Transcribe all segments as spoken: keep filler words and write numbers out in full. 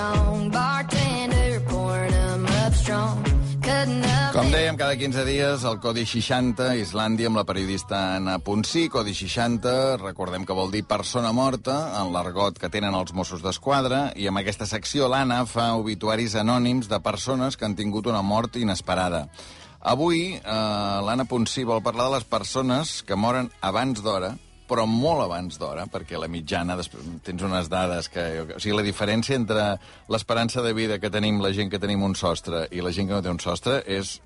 song. Bartender pouring them up strong. Com dèiem, cada quinze dies el Codi seixanta, Islàndia, amb la periodista Anna Ponsí. Codi seixanta, recordem que vol dir persona morta, en l'argot que tenen els Mossos d'Esquadra, i amb aquesta secció l'Anna fa obituaris anònims de persones que han tingut una mort inesperada. Avui, eh, l'Anna Ponsí vol parlar de les persones que moren abans d'hora, però molt abans d'hora, perquè la mitjana, després tens unes dades que... O sigui, la diferència entre l'esperança de vida que tenim la gent que tenim un sostre i la gent que no té un sostre és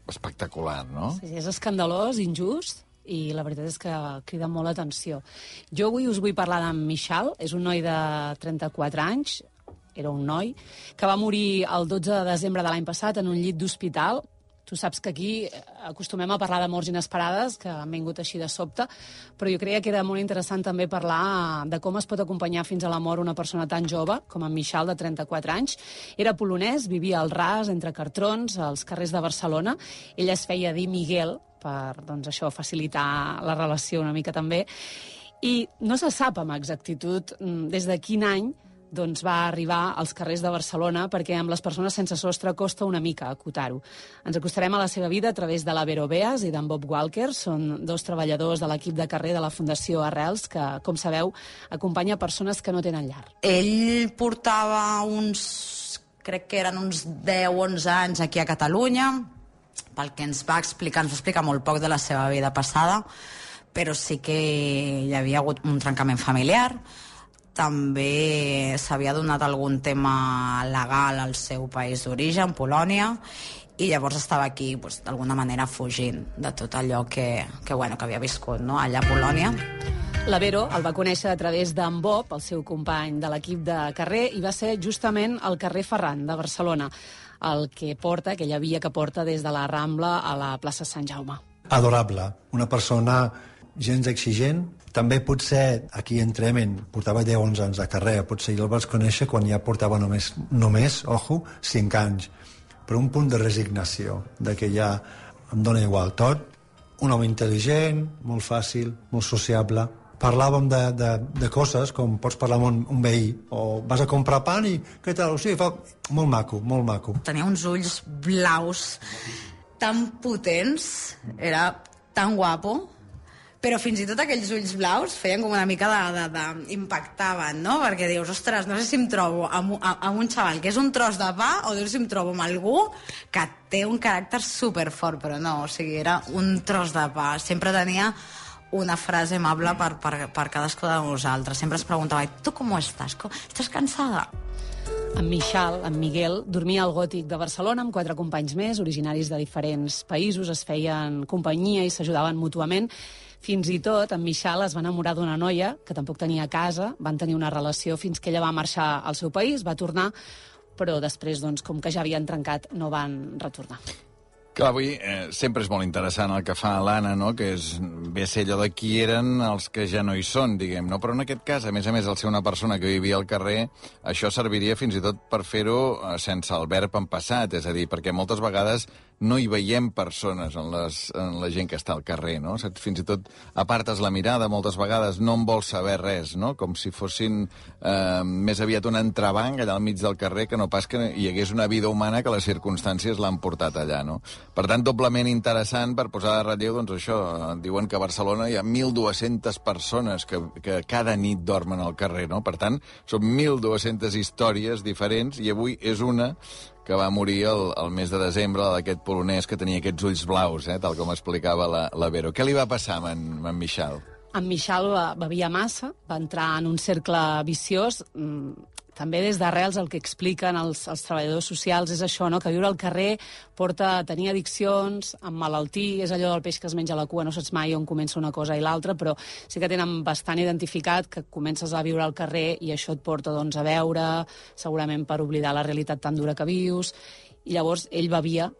espectacular, no? Sí, és escandalós, injust, i la veritat és que crida molt l'atenció. Jo avui us vull parlar d'en Michal, és un noi de trenta-quatre anys, era un noi, que va morir el dotze de desembre de l'any passat en un llit d'hospital. Tu saps que aquí acostumem a parlar de morts inesperades, que han vingut així de sobte, però jo creia que era molt interessant també parlar de com es pot acompanyar fins a la mort una persona tan jove com en Michal, de trenta-quatre anys. Era polonès, vivia al ras, entre cartrons, als carrers de Barcelona. Ell es feia dir Miguel, per doncs, això facilitar la relació una mica també. I no se sap amb exactitud des de quin any doncs va arribar als carrers de Barcelona, perquè amb les persones sense sostre costa una mica acotar-ho. Ens acostarem a la seva vida a través de la Vero Beas i d'en Bob Walker. Són dos treballadors de l'equip de carrer de la Fundació Arrels, que, com sabeu, acompanya persones que no tenen llar. Ell portava uns... crec que eren uns deu o onze anys aquí a Catalunya. Pel que ens va explicar, ens va explicar molt poc de la seva vida passada, però sí que hi havia hagut un trencament familiar. També s'havia donat algun tema legal al seu país d'origen, Polònia, i llavors estava aquí doncs, d'alguna manera fugint de tot allò que, que, bueno, que havia viscut, no? Allà a Polònia. La Vero el va conèixer a través d'en Bob, el seu company de l'equip de carrer, i va ser justament al carrer Ferran de Barcelona, el que porta, aquella via que porta des de la Rambla a la plaça Sant Jaume. Adorable, una persona gens exigent. També potser aquí entrem en... portava deu o onze anys de carrera, potser jo el vaig conèixer quan ja portava només, només, ojo, cinc anys. Però un punt de resignació, de que ja em dona igual tot. Un home intel·ligent, molt fàcil, molt sociable. Parlàvem de, de, de coses com pots parlar amb un, un veí, o vas a comprar pan i què tal? O sigui, fa... molt maco, molt maco. Tenia uns ulls blaus tan potents, era tan guapo, però fins i tot aquells ulls blaus feien com una mica de, de, de impactaven, no? Perquè dius, ostres, no sé si em trobo amb, amb un xaval que és un tros de pa o dius si em trobo amb algú que té un caràcter superfort, però no, o sigui, era un tros de pa. Sempre tenia una frase amable per, per, per cadascú de nosaltres. Sempre es preguntava, tu com estàs? Estàs cansada? En Michal, en Miguel, dormia al Gòtic de Barcelona amb quatre companys més, originaris de diferents països, es feien companyia i s'ajudaven mútuament. Fins i tot, en Michal es va enamorar d'una noia que tampoc tenia casa, van tenir una relació fins que ella va marxar al seu país, va tornar, però després, doncs, com que ja havien trencat, no van retornar. Clar, avui eh, sempre és molt interessant el que fa l'Anna, no? Que és bé ser allò de qui eren els que ja no hi són, diguem, no? Però en aquest cas, a més a més, al ser una persona que vivia al carrer, això serviria fins i tot per fer-ho eh, sense el verb en passat, és a dir, perquè moltes vegades no hi veiem persones en, les, en la gent que està al carrer, no? Fins i tot apartes la mirada, moltes vegades no en vols saber res, no? Com si fossin eh, més aviat un entrebanc allà al mig del carrer que no pas que hi hagués una vida humana que les circumstàncies l'han portat allà, no? Per tant, doblement interessant per posar de relleu, doncs això, diuen que a Barcelona hi ha mil dues-centes persones que, que cada nit dormen al carrer, no? Per tant, són mil dues-centes històries diferents i avui és una que va morir el, el mes de desembre d'aquest polonès que tenia aquests ulls blaus, eh, tal com explicava la, la Vero. Què li va passar amb en, amb en Michal? En Michal bevia massa, va entrar en un cercle viciós. També des d'Arrels el que expliquen els, els treballadors socials és això, no? Que viure al carrer porta a tenir addiccions, emmalaltir, és allò del peix que es menja la cua, no saps mai on comença una cosa i l'altra, però sí que tenen bastant identificat que comences a viure al carrer i això et porta doncs, a veure, segurament per oblidar la realitat tan dura que vius, i llavors ell bevia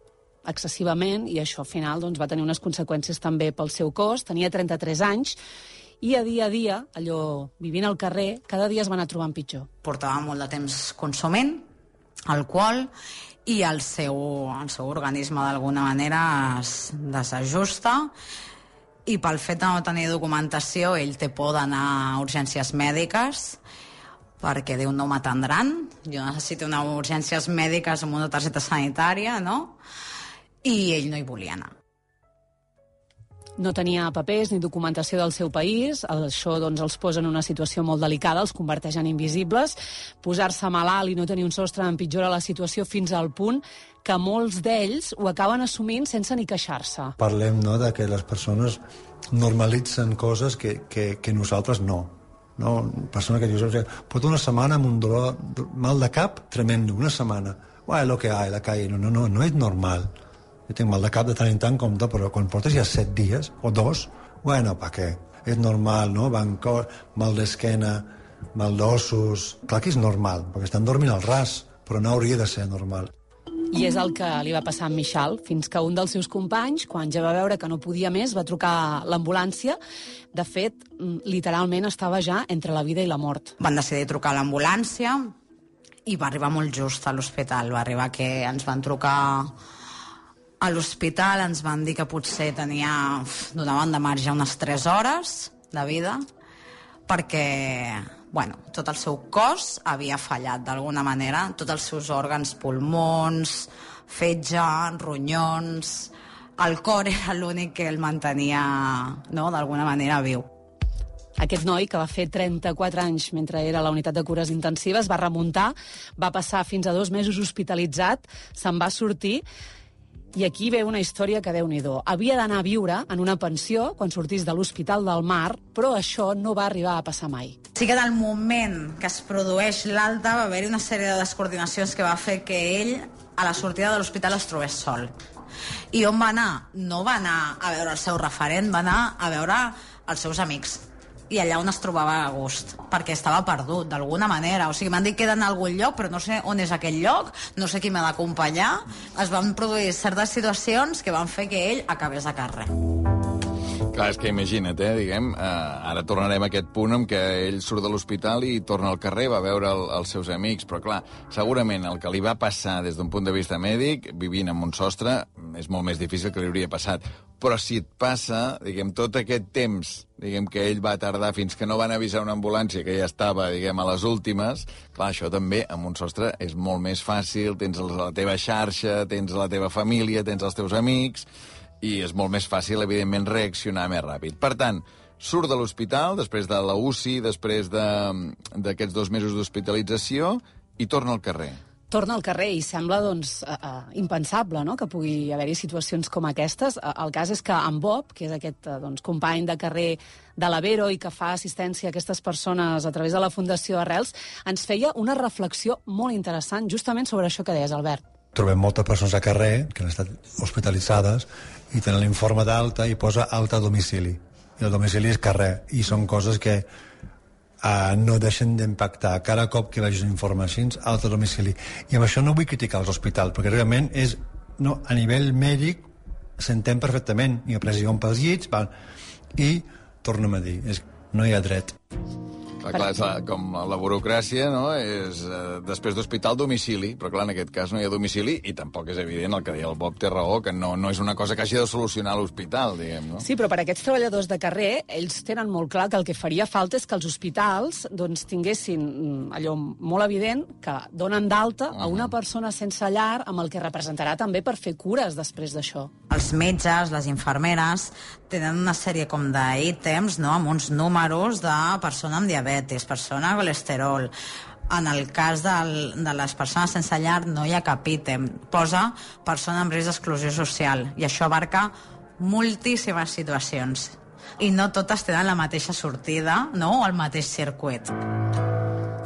excessivament i això al final doncs, va tenir unes conseqüències també pel seu cos. Tenia trenta-tres anys i a dia a dia, allò, vivint al carrer, cada dia es va anar trobant pitjor. Portava molt de temps consumint alcohol i el seu, el seu organisme d'alguna manera es desajusta i pel fet de no tenir documentació ell té por d'anar a urgències mèdiques perquè diu no m'atendran jo necessito anar a urgències mèdiques amb una targeta sanitària, no? I ell no hi volia anar. No tenia papers ni documentació del seu país, això doncs, els posa en una situació molt delicada, els converteix en invisibles. Posar-se malalt i no tenir un sostre empitjora la situació fins al punt que molts d'ells ho acaben assumint sense ni queixar-se. Parlem, no?, de que les persones normalitzen coses que, que, que nosaltres no. No? Persona que dius, pot una setmana amb un dolor, mal de cap tremendo, una setmana. Bueno, lo que hay, la calle. No, no, no, no és normal. Jo tinc mal de cap de tant en tant, compte, però quan portes ja set dies, o dos, bueno, pa què? És normal, no? Bancor, mal d'esquena, mal d'ossos... Clar que és normal, perquè estan dormint al ras, però no hauria de ser normal. I és el que li va passar a en Michal, fins que un dels seus companys, quan ja va veure que no podia més, va trucar a l'ambulància. De fet, literalment estava ja entre la vida i la mort. Van decidir trucar a l'ambulància i va arribar molt just a l'hospital. Va arribar que ens van trucar a l'hospital, ens van dir que potser tenia, donaven de marge unes tres hores de vida, perquè, bueno, tot el seu cos havia fallat d'alguna manera, tots els seus òrgans, pulmons, fetge, ronyons... El cor era l'únic que el mantenia, no?, d'alguna manera viu. Aquest noi, que va fer trenta-quatre anys mentre era a la unitat de cures intensives, va remuntar, va passar fins a dos mesos hospitalitzat, se'n va sortir. I aquí ve una història que, Déu-n'hi-do, havia d'anar a viure en una pensió quan sortís de l'Hospital del Mar, però això no va arribar a passar mai. Sí que en el moment que es produeix l'alta va haver-hi una sèrie de descoordinacions que va fer que ell, a la sortida de l'hospital, es trobés sol. I on va anar? No va anar a veure el seu referent, va anar a veure els seus amics. I allà on es trobava a gust, perquè estava perdut, d'alguna manera. O sigui, m'han dit que era en algun lloc, però no sé on és aquell lloc, no sé qui m'ha d'acompanyar. Es van produir certes situacions que van fer que ell acabés a carrer. Clar, és que imagina't, eh, diguem, eh, ara tornarem a aquest punt en què ell surt de l'hospital i torna al carrer, va veure el, els seus amics, però clar, segurament el que li va passar des d'un punt de vista mèdic, vivint amb un sostre, és molt més difícil que li hauria passat. Però si et passa, diguem, tot aquest temps, diguem, que ell va tardar fins que no van avisar una ambulància que ja estava, diguem, a les últimes, clar, això també, amb un sostre, és molt més fàcil, tens la teva xarxa, tens la teva família, tens els teus amics, i és molt més fàcil, evidentment, reaccionar més ràpid. Per tant, surt de l'hospital, després de la U C I, després d'aquests dos mesos d'hospitalització, i torna al carrer. Torna al carrer i sembla, doncs, uh, uh, impensable, no?, que pugui haver-hi situacions com aquestes. Uh, el cas és que en Bob, que és aquest uh, doncs, company de carrer de l'Avero i que fa assistència a aquestes persones a través de la Fundació Arrels, ens feia una reflexió molt interessant justament sobre això que deies, Albert. Trobem moltes persones a carrer que han estat hospitalitzades i tenen l'informe d'alta i posa alta a domicili. I el domicili és carrer. I són coses que uh, no deixen d'impactar. Cada cop que vegis un informe així, alta a domicili. I amb això no vull criticar els hospitals, perquè realment és, no, a nivell mèdic s'entén perfectament. Hi ha pressió pels llits, val, i tornem a dir, és, no hi ha dret. Clar, clar, és la, com la burocràcia, no?, és eh, després d'hospital domicili, però clar, en aquest cas no hi ha domicili i tampoc és evident el que deia el Bob té raó, que no, no és una cosa que hagi de solucionar l'hospital, diguem, no? Sí, però per a aquests treballadors de carrer, ells tenen molt clar que el que faria falta és que els hospitals doncs, tinguessin allò molt evident que donen d'alta a una persona sense llar, amb el que representarà també per fer cures després d'això. Els metges, les infermeres, tenen una sèrie com d'ítems, no?, amb uns números de persona amb diabetis, persona amb colesterol. En el cas del, de les persones sense llar no hi ha cap ítem. Posa persona amb risc d'exclusió social i això abarca moltíssimes situacions. I no totes tenen la mateixa sortida, no?, o el mateix circuit.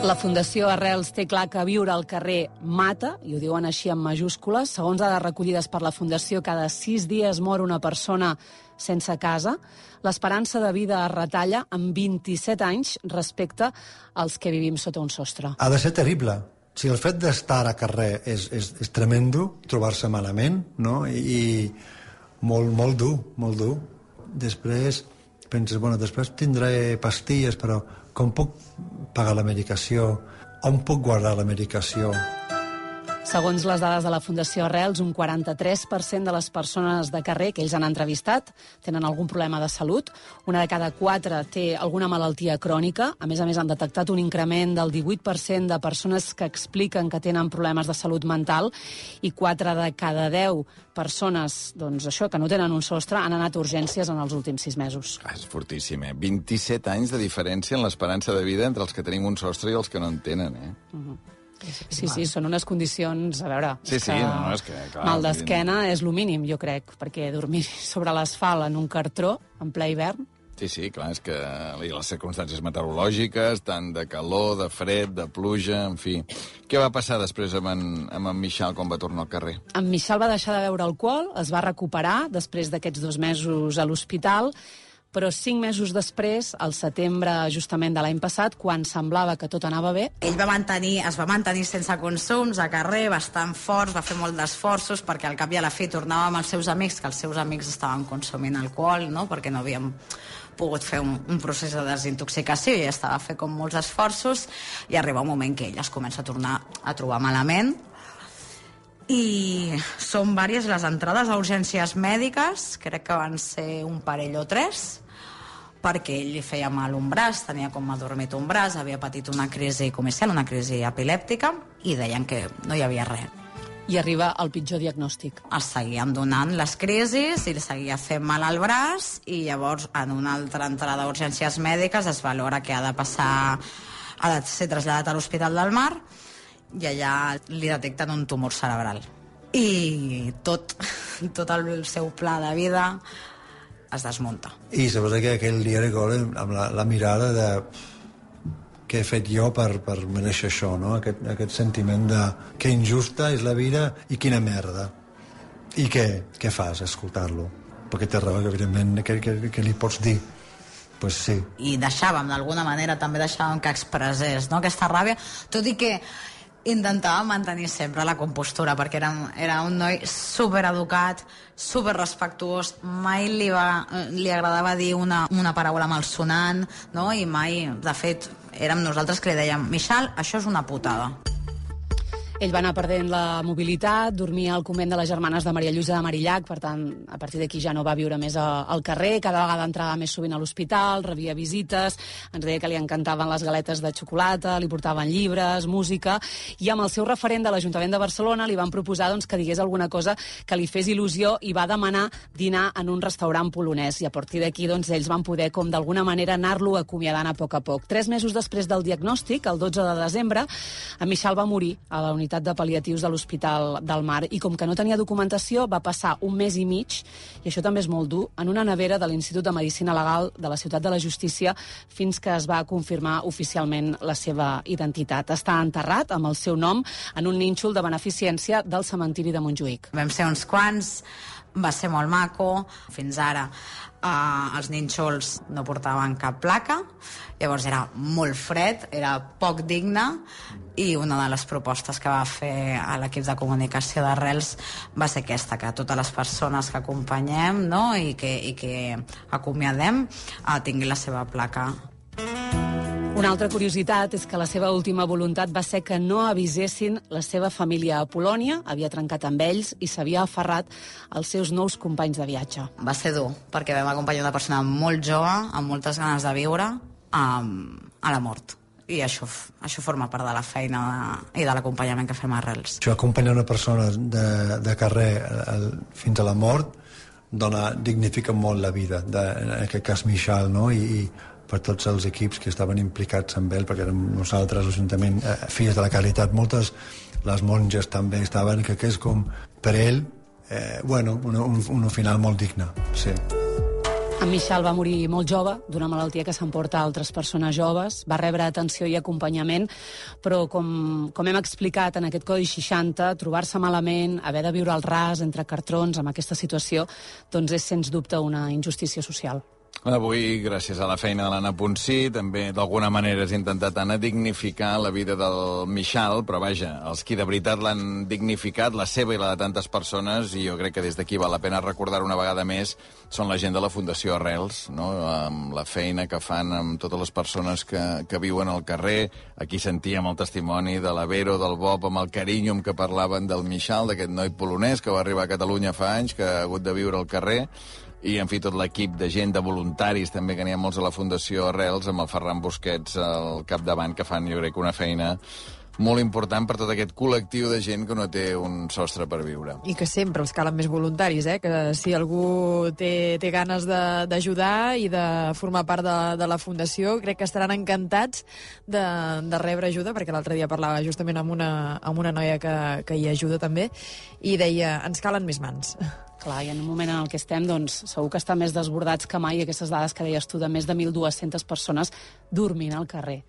La Fundació Arrels té clar que viure al carrer mata, i ho diuen així en majúscules. Segons dades recollides per la Fundació, cada sis dies mor una persona sense casa. L'esperança de vida es retalla en vint-i-set anys respecte als que vivim sota un sostre. Ha de ser terrible. Si el fet d'estar a carrer és, és, és tremendo, trobar-se malament, no?, i, i molt, molt dur, molt dur. Després penses, bueno, després tindré pastilles, però com puc pagar la medicació? On puc guardar la medicació? Segons les dades de la Fundació Arrels, un quaranta-tres per cent de les persones de carrer que ells han entrevistat tenen algun problema de salut. Una de cada quatre té alguna malaltia crònica. A més a més, han detectat un increment del divuit per cent de persones que expliquen que tenen problemes de salut mental i quatre de cada deu persones, doncs això, que no tenen un sostre, han anat a urgències en els últims sis mesos. Ah, és fortíssim, eh? vint-i-set anys de diferència en l'esperança de vida entre els que tenim un sostre i els que no en tenen, eh? Uh-huh. Sí, sí, són unes condicions, a veure... Sí, sí, no, no, és que... Clar, mal d'esquena és lo mínim, jo crec, perquè dormir sobre l'asfalt en un cartró, en ple hivern... Sí, sí, clar, és que les circumstàncies meteorològiques, tant de calor, de fred, de pluja, en fi... Què va passar després amb en, amb en Michal quan va tornar al carrer? En Michal va deixar de beure alcohol, es va recuperar després d'aquests dos mesos a l'hospital, però cinc mesos després, al setembre justament de l'any passat, quan semblava que tot anava bé... Ell va mantenir, es va mantenir sense consums a carrer, bastant forts, va fer molt d'esforços perquè al cap i a la fi tornava amb els seus amics, que els seus amics estaven consumint alcohol, no? Perquè no havíem pogut fer un, un procés de desintoxicació i estava a fer com molts esforços i arriba un moment que ell es comença a tornar a trobar malament i són diverses les entrades a urgències mèdiques, crec que van ser un parell o tres, perquè ell li feia mal un braç, tenia com adormit un braç, havia patit una crisi comercial, una crisi epilèptica, i deien que no hi havia res. I arriba el pitjor diagnòstic. Es seguien donant les crisis i li seguia fent mal al braç i llavors en una altra entrada d'urgències mèdiques es valora que ha de passar, ha de ser traslladat a l'Hospital del Mar i allà li detecten un tumor cerebral. I tot, tot el seu pla de vida es desmunta. I suposo que aquell dia recordo amb la, la mirada de què he fet jo per, per mereixer això, no? Aquest, aquest sentiment de que injusta és la vida i quina merda. I què, què fas, escoltar-lo? Perquè té raó, que evidentment, què, què, què li pots dir? Pues sí. I deixàvem, d'alguna manera, també deixàvem que expressés, no?, aquesta ràbia, tot i que intentava mantenir sempre la compostura, perquè era, era un noi supereducat, superrespectuós, mai li, va, li agradava dir una, una paraula malsonant, no? I mai, de fet, érem nosaltres que li dèiem Michal, això és una putada. Ell va anar perdent la mobilitat, dormia al convent de les germanes de Maria Lluïsa de Marillac, per tant, a partir d'aquí ja no va viure més a, al carrer, cada vegada entrava més sovint a l'hospital, rebia visites, ens deia que li encantaven les galetes de xocolata, li portaven llibres, música, i amb el seu referent de l'Ajuntament de Barcelona li van proposar doncs, que digués alguna cosa que li fes il·lusió i va demanar dinar en un restaurant polonès, i a partir d'aquí doncs, ells van poder, com d'alguna manera, anar-lo acomiadant a poc a poc. Tres mesos després del diagnòstic, el dotze de desembre, en Michal va morir a la unitat de pal·liatius de l'Hospital del Mar i com que no tenia documentació va passar un mes i mig, i això també és molt dur, en una nevera de l'Institut de Medicina Legal de la Ciutat de la Justícia fins que es va confirmar oficialment la seva identitat. Està enterrat amb el seu nom en un nínxol de beneficència del cementiri de Montjuïc. Vam ser uns quants, va ser molt maco, fins ara eh, els nínxols no portaven cap placa, llavors era molt fred, era poc digne, i una de les propostes que va fer a l'equip de comunicació d'Arrels va ser aquesta, que totes les persones que acompanyem, no?, i que, i que acomiadem eh, tinguin la seva placa. Una altra curiositat és que la seva última voluntat va ser que no avisessin la seva família a Polònia, havia trencat amb ells i s'havia aferrat als seus nous companys de viatge. Va ser dur, perquè vam acompanyar una persona molt jove, amb moltes ganes de viure, a, a la mort. I això, això forma part de la feina de, i de l'acompanyament que fem a Arrels. Això, acompanyar una persona de, de carrer el, fins a la mort dona, dignifica molt la vida, de, en aquest cas Michal, no? I, i per tots els equips que estaven implicats amb ell, perquè érem nosaltres, l'Ajuntament, eh, Filles de la Caritat, moltes, les monges també estaven, que, que és com, per ell, eh, bueno, un, un, un final molt digne, sí. En Michal va morir molt jove, d'una malaltia que s'emporta a altres persones joves, va rebre atenció i acompanyament, però com, com hem explicat en aquest Codi seixanta, trobar-se malament, haver de viure al ras entre cartrons amb aquesta situació, doncs és sens dubte una injustícia social. Avui, gràcies a la feina de l'Anna Ponsí, també d'alguna manera has intentat, Anna, dignificar la vida del Mixal, però vaja, els qui de veritat l'han dignificat, la seva i la de tantes persones, i jo crec que des d'aquí val la pena recordar una vegada més, són la gent de la Fundació Arrels, no? Amb la feina que fan amb totes les persones que, que viuen al carrer. Aquí sentíem el testimoni de la Vero, del Bob, amb el carinyo amb què parlaven del Mixal, d'aquest noi polonès que va arribar a Catalunya fa anys, que ha hagut de viure al carrer, i, en fi, tot l'equip de gent, de voluntaris, també, que n'hi ha molts a la Fundació Arrels, amb el Ferran Busquets al capdavant, que fan, jo crec, una feina molt important per tot aquest col·lectiu de gent que no té un sostre per viure. I que sempre els calen més voluntaris, eh? Que si algú té, té ganes d'ajudar i de formar part de, de la Fundació, crec que estaran encantats de, de rebre ajuda, perquè l'altre dia parlava justament amb una, amb una noia que, que hi ajuda també, i deia, ens calen més mans. Clar, i en un moment en el que estem, doncs, segur que estan més desbordats que mai, aquestes dades que deies tu, de més de mil dues-centes persones dormint al carrer.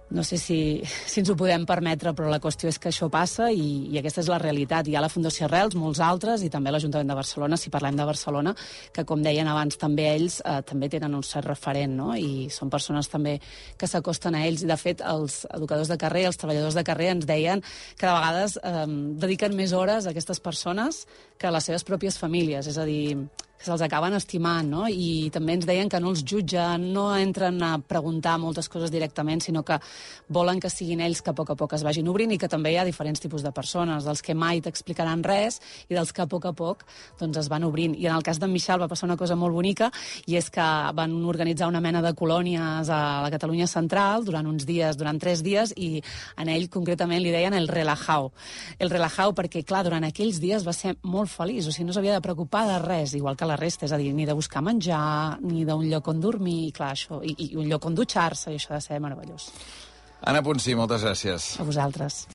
No sé si, si ens ho podem permetre, però la qüestió és que això passa i, i aquesta és la realitat. Hi ha la Fundació Arrels, molts altres, i també l'Ajuntament de Barcelona, si parlem de Barcelona, que, com deien abans, també ells eh, també tenen un cert referent, no? I són persones també que s'acosten a ells. I, de fet, els educadors de carrer, els treballadors de carrer ens deien que de vegades eh, dediquen més hores a aquestes persones que a les seves pròpies famílies. És a dir, que se'ls acaben estimant, no? I també ens deien que no els jutgen, no entren a preguntar moltes coses directament, sinó que volen que siguin ells que a poc a poc es vagin obrint, i que també hi ha diferents tipus de persones, dels que mai t'explicaran res i dels que a poc a poc doncs, es van obrint. I en el cas d'en Mixal va passar una cosa molt bonica, i és que van organitzar una mena de colònies a la Catalunya central durant uns dies, durant tres dies, i en ell concretament li deien el relajao. El relajao perquè, clar, durant aquells dies va ser molt feliç, o sigui, no s'havia de preocupar de res, igual que la resta, és a dir, ni de buscar menjar, ni d'un lloc on dormir, i clar, això, i, i un lloc on dutxar-se, i això ha de ser meravellós. Anna Ponsí, moltes gràcies. A vosaltres.